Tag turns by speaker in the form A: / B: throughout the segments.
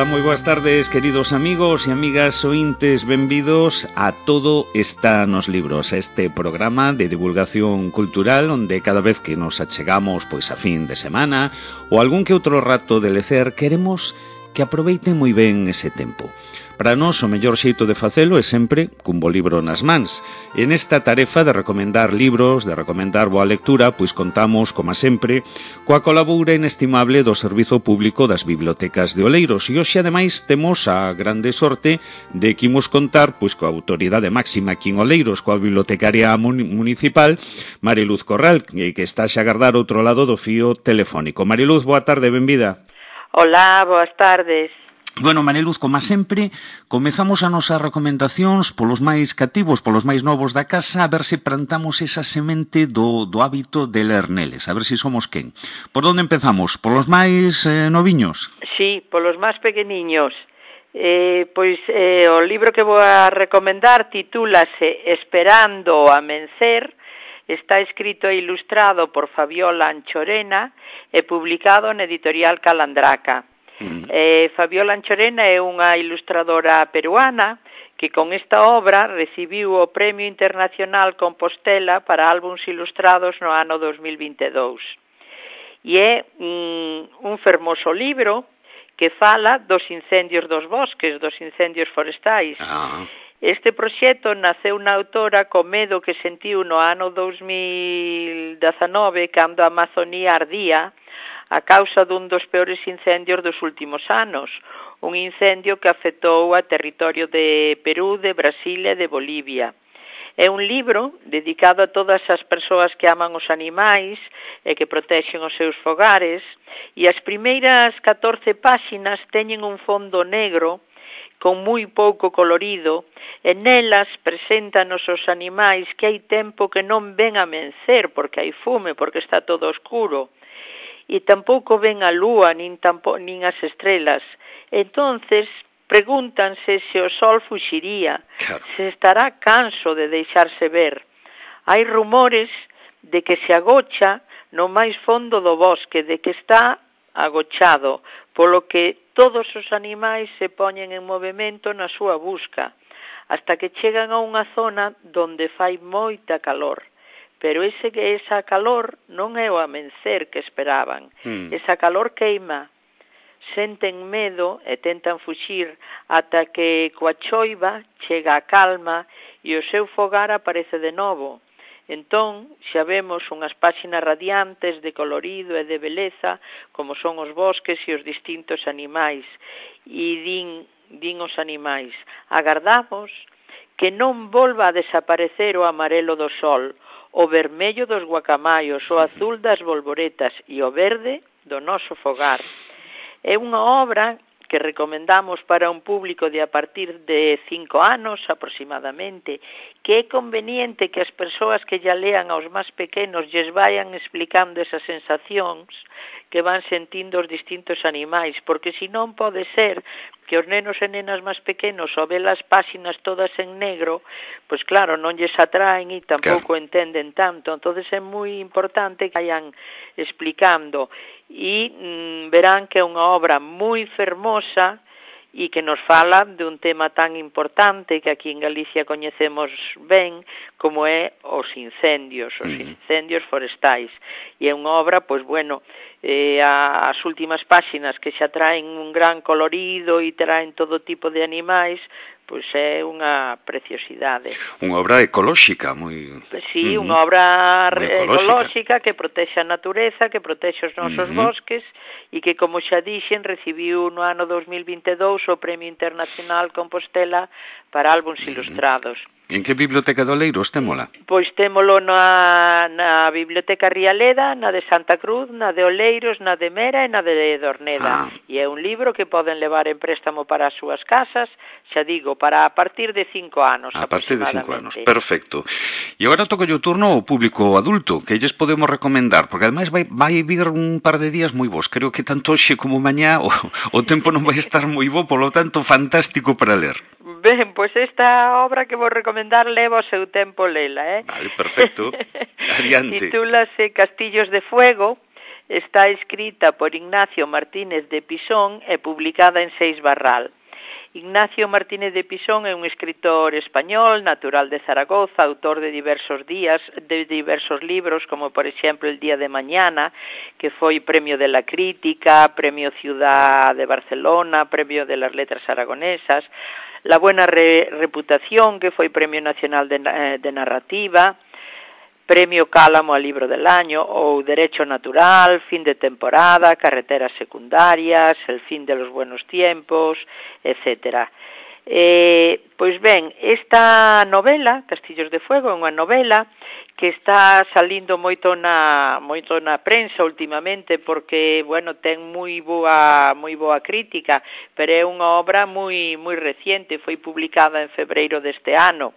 A: Ola, moi boas tardes, queridos amigos e amigas ointes, benvidos a Todo está nos libros, este programa de divulgación cultural onde cada vez que nos achegamos pois a fin de semana ou algún que outro rato de lecer, queremos que aproveiten moi ben ese tempo. Para nós, o mellor xeito de facelo é sempre cun bo libro nas mans. E nesta tarefa de recomendar libros, de recomendar boa lectura, pois contamos, como sempre, coa colaboración inestimable do Servizo Público das Bibliotecas de Oleiros. E hoxe, ademais, temos a grande sorte de que imos contar pois coa autoridade máxima aquí en Oleiros, coa bibliotecaria municipal, Mariluz Corral, que está xa a agardar outro lado do fío telefónico. Mariluz, boa tarde, benvida.
B: Hola, boas tardes.
A: Bueno, Mariluz, como sempre, comezamos as nosas recomendacións polos máis cativos, polos máis novos da casa, a ver se plantamos esa semente do hábito de ler neles, a ver se somos quen. Por onde empezamos? Polos máis noviños?
B: Sí, polos máis pequeniños. O libro que vou a recomendar titúlase Esperando o amencer, está escrito e ilustrado por Fabiola Anchorena e publicado na editorial Calandraca. Fabiola Anchorena é unha ilustradora peruana que con esta obra recibiu o Premio Internacional Compostela para álbums ilustrados no ano 2022. E é un fermoso libro que fala dos incendios dos bosques, dos incendios forestais. Este proxecto naceu na autora co medo que sentiu no ano 2019 cando a Amazonía ardía a causa dun dos peores incendios dos últimos anos, un incendio que afectou a territorio de Perú, de Brasil e de Bolivia. É un libro dedicado a todas as persoas que aman os animais e que protexen os seus fogares, e as primeiras 14 páxinas teñen un fondo negro con moi pouco colorido, e nelas preséntanos os animais que hai tempo que non ven amencer, porque hai fume, porque está todo oscuro, e tampouco ven a lúa, nin as estrelas. Entonces, pregúntanse se o sol fuxiría, se estará canso de deixarse ver. Hai rumores de que se agocha no máis fondo do bosque, de que está agochado, polo que todos os animais se poñen en movimento na súa busca, hasta que chegan a unha zona donde fai moita calor. Pero esa calor non é o amencer que esperaban. Esa calor queima, senten medo e tentan fuxir ata que coa choiva chega a calma e o seu fogar aparece de novo. Entón, xa vemos unhas páxinas radiantes de colorido e de beleza, como son os bosques e os distintos animais. E din os animais, agardamos que non volva a desaparecer o amarelo do sol, o vermello dos guacamayos, o azul das bolboretas e o verde do noso fogar. É unha obra que recomendamos para un público de a partir de 5 anos aproximadamente, que é conveniente que as persoas que ya lean aos máis pequenos lles vayan explicando esas sensacións que van sentindo os distintos animais, porque senón pode ser que os nenos e nenas máis pequenos ao ver as páxinas todas en negro, pois claro, non lles atraen e tampouco entenden tanto. Entonces é moi importante que vayan explicando e verán que é unha obra moi fermosa e que nos fala de un tema tan importante que aquí en Galicia coñecemos ben, como é os incendios forestais. E é unha obra, pois bueno, as últimas páxinas que xa traen un gran colorido e traen todo tipo de animais, pois é unha preciosidade.
A: Unha obra ecolóxica, moi...
B: Sí, unha obra ecolóxica que protexe a natureza, que protexe os nosos bosques e que, como xa dixen, recibiu no ano 2022 o Premio Internacional Compostela para álbums ilustrados.
A: En que biblioteca de Oleiros témola?
B: Pois témolo na Biblioteca Rialeda, na de Santa Cruz, na de Oleiros, na de Mera e na de Dorneda. E é un libro que poden levar en préstamo para as súas casas, xa digo, para a partir de 5 anos.
A: A partir de 5 anos, perfecto. E agora toca o turno ao público adulto, que lles podemos recomendar, porque ademais vai vir un par de días moi bons. Creo que tanto hoxe como mañá o tempo non vai estar moi bo, polo tanto, fantástico para ler.
B: Ben, pois esta obra que vou recomendar leva o seu tempo lela,
A: Vale, perfecto. Adiante.
B: Titúlase Castillos de Fuego, está escrita por Ignacio Martínez de Pisón e publicada en Seis Barral. Ignacio Martínez de Pisón é un escritor español, natural de Zaragoza, autor de diversos libros, como por exemplo El día de mañana, que foi Premio de la Crítica, Premio Ciudad de Barcelona, Premio de las Letras Aragonesas, La buena reputación, que foi Premio Nacional de Narrativa, Premio Cálamo al Libro del Año, ou Derecho Natural, Fin de Temporada, Carreteras Secundarias, El fin de los buenos tiempos, etc. Pois ben, esta novela, Castillos de Fuego, é unha novela que está salindo moito na prensa últimamente porque, bueno, ten moi boa crítica, pero é unha obra moi reciente, foi publicada en febreiro deste ano.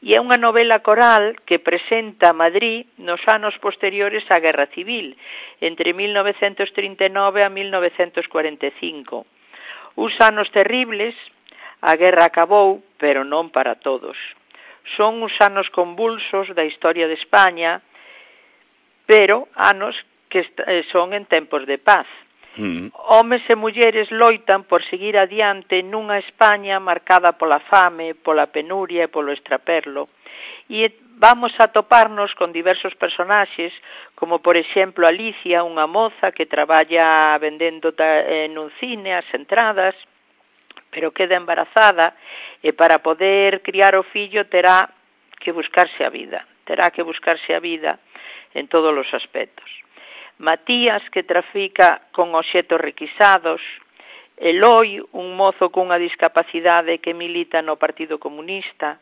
B: E é unha novela coral que presenta Madrid nos anos posteriores á Guerra Civil, entre 1939 a 1945. Uns anos terribles, a guerra acabou, pero non para todos. Son uns anos convulsos da historia de España, pero anos que son en tempos de paz. Homes e mulleres loitan por seguir adiante nunha España marcada pola fame, pola penuria e polo extraperlo. E vamos a toparnos con diversos personaxes, como por exemplo Alicia, unha moza que traballa vendendo nun cine as entradas, pero queda embarazada e para poder criar o fillo terá que buscarse a vida en todos os aspectos. Matías, que trafica con obxetos requisados, Eloi, un mozo cunha discapacidade que milita no Partido Comunista,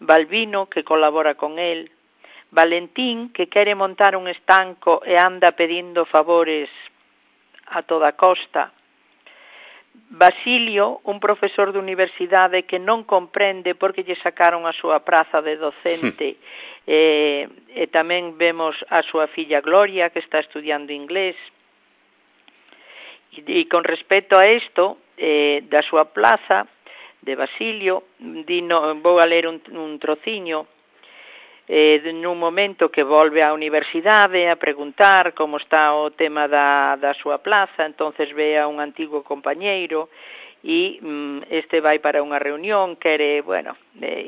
B: Balbino, que colabora con el, Valentín, que quere montar un estanco e anda pedindo favores a toda costa, Basilio, un profesor de universidade que non comprende por que lle sacaron a súa praza de docente, e tamén vemos a súa filla Gloria, que está estudiando inglés. E con respecto a isto, da súa plaza, de Basilio, vou a ler un trociño, nun momento que volve á universidade a preguntar como está o tema da súa plaza, entonces ve a un antigo compañeiro e este vai para unha reunión,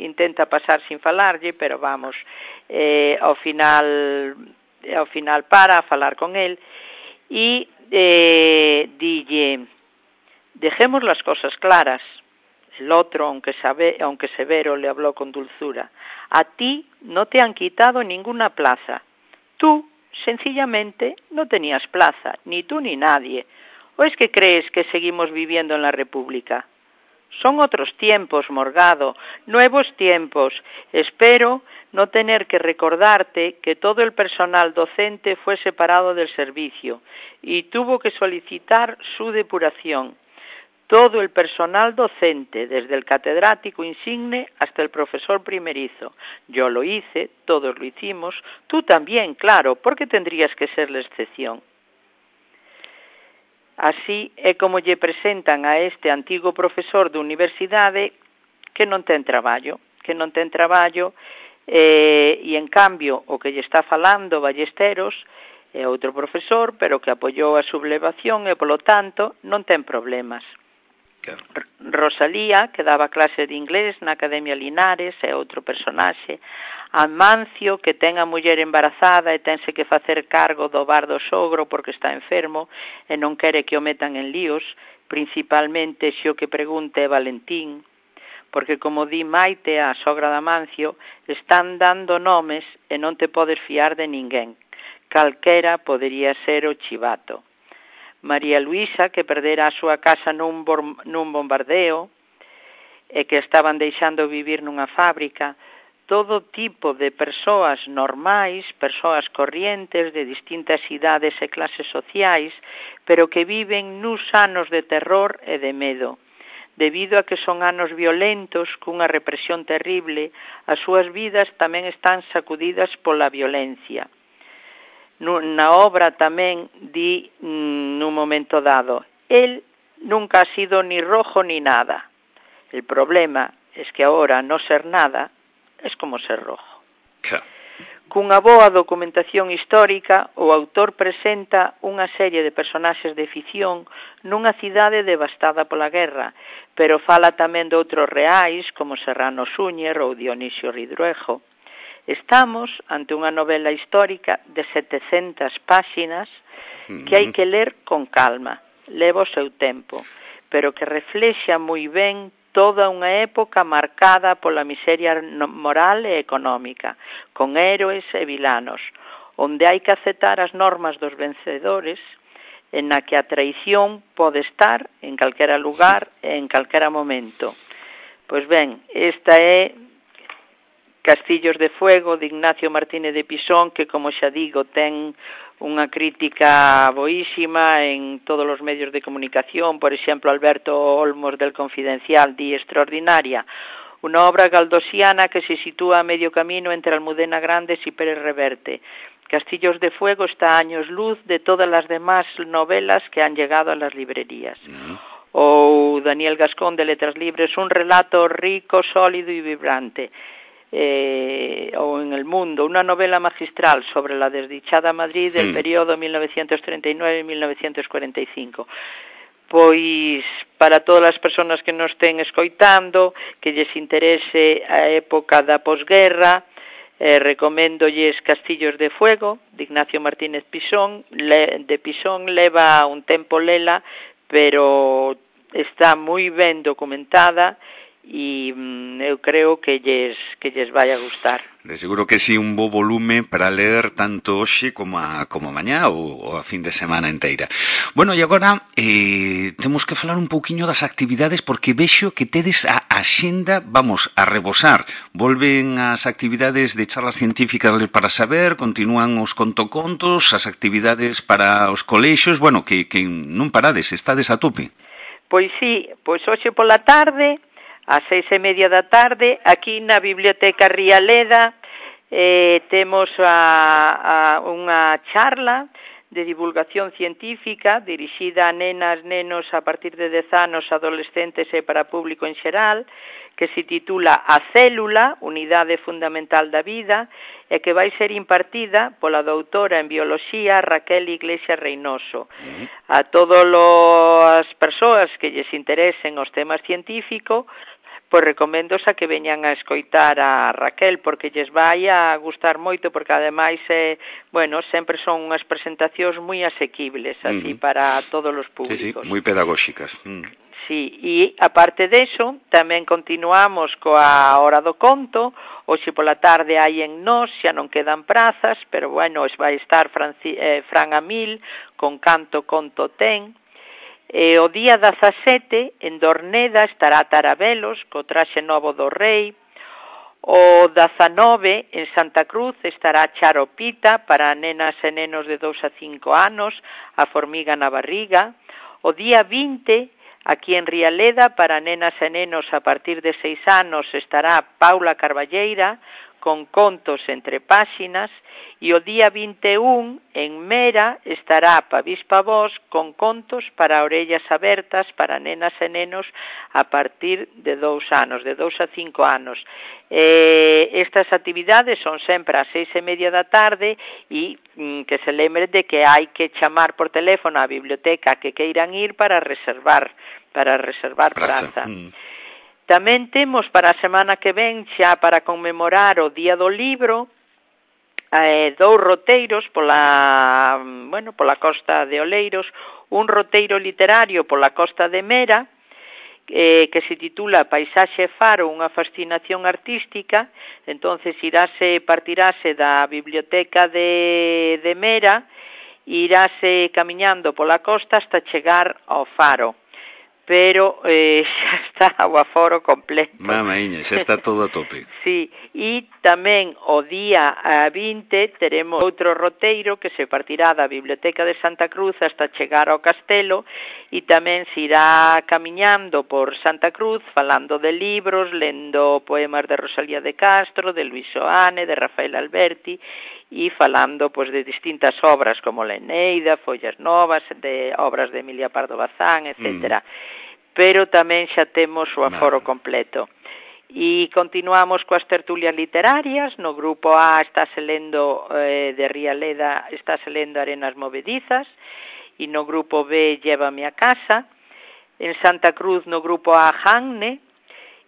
B: intenta pasar sin falarlle, pero vamos, ao final para a falar con el e dille: dejemos las cosas claras. El otro, aunque severo, le habló con dulzura. A ti no te han quitado ninguna plaza. Tú, sencillamente, no tenías plaza, ni tú ni nadie. ¿O es que crees que seguimos viviendo en la República? Son otros tiempos, Morgado, nuevos tiempos. Espero no tener que recordarte que todo el personal docente fue separado del servicio y tuvo que solicitar su depuración. Todo el personal docente, desde el catedrático insigne hasta el profesor primerizo. Yo lo hice, todos lo hicimos, tú también, claro, ¿por qué tendrías que ser la excepción? Así é como lle presentan a este antigo profesor de universidade que non ten traballo, e en cambio o que lle está falando Ballesteros é outro profesor, pero que apoiou a sublevación e, polo tanto, non ten problemas. Rosalía, que daba clase de inglés na Academia Linares, é outro personaxe. Amancio, que ten a muller embarazada e tense que facer cargo do bar do sogro porque está enfermo e non quere que o metan en líos, principalmente se o que pregunte é Valentín, porque como di Maite, a sogra de Amancio, están dando nomes e non te podes fiar de ninguén. Calquera podería ser o chivato. María Luisa, que perdera a súa casa nun bombardeo e que estaban deixando vivir nunha fábrica, todo tipo de persoas normais, persoas corrientes de distintas idades e clases sociais, pero que viven nuns anos de terror e de medo. Debido a que son anos violentos, cunha represión terrible, as súas vidas tamén están sacudidas pola violencia. Na obra tamén di nun momento dado: él nunca ha sido ni rojo ni nada. El problema es que ahora no ser nada es como ser rojo. Cunha boa documentación histórica, o autor presenta unha serie de personaxes de ficción nunha cidade devastada pola guerra, pero fala tamén de outros reais como Serrano Súñer ou Dionisio Ridruejo. Estamos ante unha novela histórica de 700 páxinas que hai que ler con calma, leva o seu tempo, pero que reflexa moi ben toda unha época marcada pola miseria moral e económica, con héroes e vilanos, onde hai que aceptar as normas dos vencedores, en na que a traición pode estar en calquera lugar e en calquera momento. Pois ben, esta é Castillos de Fuego, de Ignacio Martínez de Pisón, que, como xa digo, ten unha crítica boísima en todos os medios de comunicación. Por exemplo, Alberto Olmos del Confidencial di extraordinaria, unha obra galdosiana que se sitúa a medio camino entre Almudena Grandes e Pérez Reverte. Castillos de Fuego está a años luz de todas as demás novelas que han llegado a las librerías. Ou Daniel Gascón, de Letras Libres, un relato rico, sólido e vibrante. O en El Mundo, unha novela magistral sobre la desdichada Madrid del período 1939-1945. Pois, para todas as persoas que nos estén escoitando, que lles interese a época da posguerra, recoméndolles Castillos de Fuego, de Ignacio Martínez Pisón. De Pisón leva un tempo lela, pero está moi ben documentada, e eu creo que lles vai a gustar.
A: De seguro que sí, un bo volume para ler tanto hoxe como mañá ou a fin de semana inteira. Bueno, e agora temos que falar un pouquiño das actividades, porque vexo que tedes a axenda, vamos, a rebosar. Volven as actividades de charlas científicas para saber, continúan os contocontos, as actividades para os colexios, bueno, que non parades, estades a tope.
B: Pois sí, pois hoxe pola tarde, ás 6:30 da tarde, aquí na Biblioteca Rialeda, temos unha charla de divulgación científica dirixida a nenas, nenos a partir de 10 anos, adolescentes e para público en xeral, que se titula A Célula, Unidade Fundamental da Vida, e que vai ser impartida pola doutora en Bioloxía Raquel Iglesias Reynoso. A todas as persoas que lles interesen os temas científicos, pois recomendos a que veñan a escoitar a Raquel, porque lles vai a gustar moito, porque ademais, bueno, sempre son unhas presentacións moi asequibles, así, para todos os públicos.
A: Sí, moi pedagóxicas.
B: Sí, e aparte deso, tamén continuamos coa Hora do Conto. Hoxe pola tarde hai en Nós, xa non quedan prazas, pero bueno, vai estar Fran Amil con Canto Conto Ten. O día 17, en Dorneda, estará Tarabelos, co traxe novo do rei. O 19, en Santa Cruz, estará Charopita, para nenas e nenos de 2 a 5 anos, a formiga na barriga. O día 20, aquí en Rialeda, para nenas e nenos a partir de 6 anos, estará Paula Carballeira, con contos entre páxinas. E o día 21, en Mera, estará Pavís Pavós con contos para orellas abertas para nenas e nenos a partir de 2 anos, de 2 a 5 anos. Estas actividades son sempre ás 6:30 da tarde, e que se lembre de que hai que chamar por teléfono á biblioteca que queiran ir para reservar praza. Tamén temos para a semana que ven, xa para conmemorar o Día do Libro, 2 roteiros pola costa de Oleiros, un roteiro literario pola costa de Mera, que se titula Paisaxe Faro, unha fascinación artística. Entonces partirase da biblioteca de Mera, iráse camiñando pola costa hasta chegar ao faro. Pero xa está o aforo completo.
A: Mamaíña, xa está todo a tope.
B: Sí, e tamén o día 20 teremos outro roteiro que se partirá da Biblioteca de Santa Cruz hasta chegar ao castelo, e tamén se irá camiñando por Santa Cruz falando de libros, lendo poemas de Rosalía de Castro, de Luis Soane, de Rafael Alberti, e falando pois de distintas obras como La Eneida, Follas Novas, de obras de Emilia Pardo Bazán, etcétera. Pero tamén xa temos o aforo completo. E continuamos coas tertulias literarias. No grupo A estáse lendo de Rialeda, estáse lendo Arenas Movedizas, e no grupo B Llévame a casa. En Santa Cruz no grupo A Janne,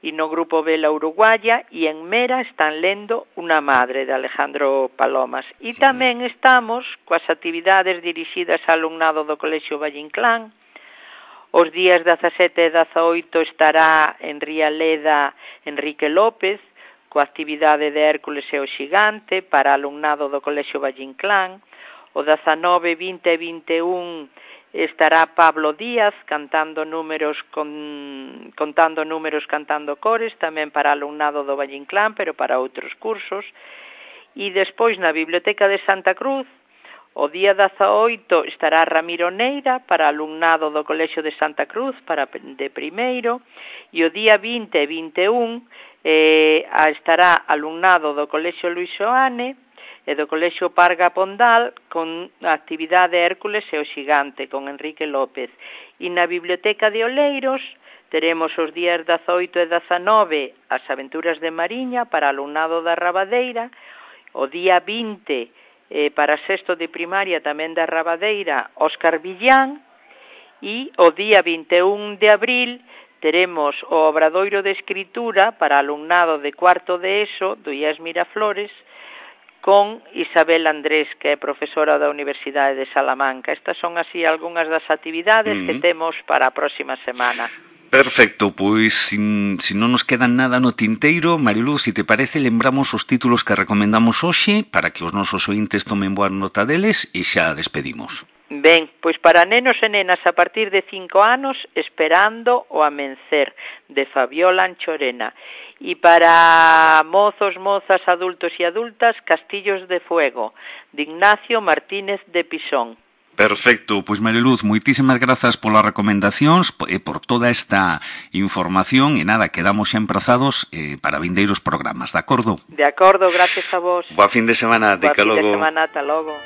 B: e no grupo B La Uruguaya, e en Mera están lendo Una madre, de Alejandro Palomas. E tamén estamos coas actividades dirixidas ao alumnado do Colexio Valle Inclán. Os días 17 e 18 estará en Rialeda Enrique López, coa actividade de Hércules e o Xigante para alumnado do Colexio Valle Inclán. O 19, 20 e 21 estará Pablo Díaz contando números, cantando cores, tamén para alumnado do Valle Inclán, pero para outros cursos. E despois na Biblioteca de Santa Cruz, o día 18 estará Ramiro Neira para alumnado do Colexio de Santa Cruz de primeiro, e o día 20 e 21 estará alumnado do Colexio Luis Xoane e do Colexio Parga Pondal con a actividade Hércules e o Xigante con Enrique López. E na Biblioteca de Oleiros teremos os días 18 e 19 as aventuras de Mariña para alumnado da Rabadeira, o día 20 para sexto de primaria tamén da Rabadeira, Óscar Villán, e o día 21 de abril teremos o obradoiro de escritura para alumnado de cuarto de ESO do IES Miraflores con Isabel Andrés, que é profesora da Universidade de Salamanca. Estas son así algunhas das actividades que temos para a próxima semana.
A: Perfecto, pois si non nos queda nada no tinteiro, Mariluz, se te parece, lembramos os títulos que recomendamos hoxe para que os nosos ointes tomen boa nota deles e xa despedimos.
B: Ben, pois para nenos e nenas a partir de 5 anos, Esperando o amencer, de Fabiola Anchorena. E para mozos, mozas, adultos e adultas, Castillos de Fuego, de Ignacio Martínez de Pisón.
A: Perfecto, pois Mariluz, moitísimas grazas polas recomendacións e por toda esta información e nada, quedamos xa emprazados para vindeiros programas, de acordo?
B: De acordo, gracias a vos.
A: Boa fin de semana,
B: Boa fin de semana, ata logo.